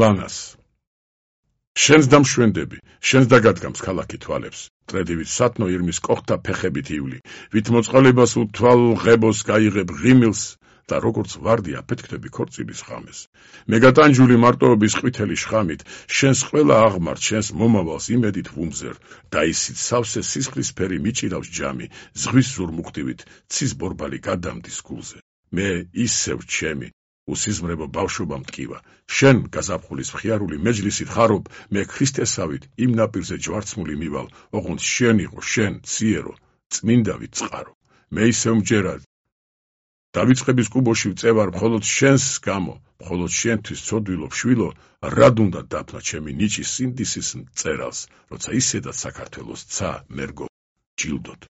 ლანას. შენს დამშვენდები, შენს დაგადგამს ქალაქი თვალებს, ტრედივით სათნო ირმის კოხთა ფეხებით ივლი, ვით მოწყალებას უთვალ ღებოს გაიღებ ღიმილს და როგორც ვარდი აფეთქდები ქორწილის ხამეს. მეგატანჯული მარტოობის ყვითელი შხამით, შენს ყველა აღმართ, შენს მომავალს იმედით ვუმზერ და ისიც სავსე სისხლისფერი მიჭირავს ჯამი, ზღვის ზურმუხტივით ცის ბორბალი გადამდის გულზე. მე ისევ ჩემი უსიზმრებო ბავშვობა მტკივა, შენ გაზაფხულის მხიარული მეჯლისით ხარობ, მე ქრისტესავით იმ ნაპირზე ჯვარცმული მივალ, ოღონდ შენ იყო, შენ, ციერო, წმინდავით წყარო. მე ისევ მჯერად დავიწყების კუბოში ვწევარ მხოლოდ შენს გამო, მხოლოდ შენთვის ცოდვილო შვილო, რად უნდა დაფნა ჩემი ნიჭის სინდისის მწერალს, როცა ისედაც საქართველოს ცა მერგო ჯილდოდ.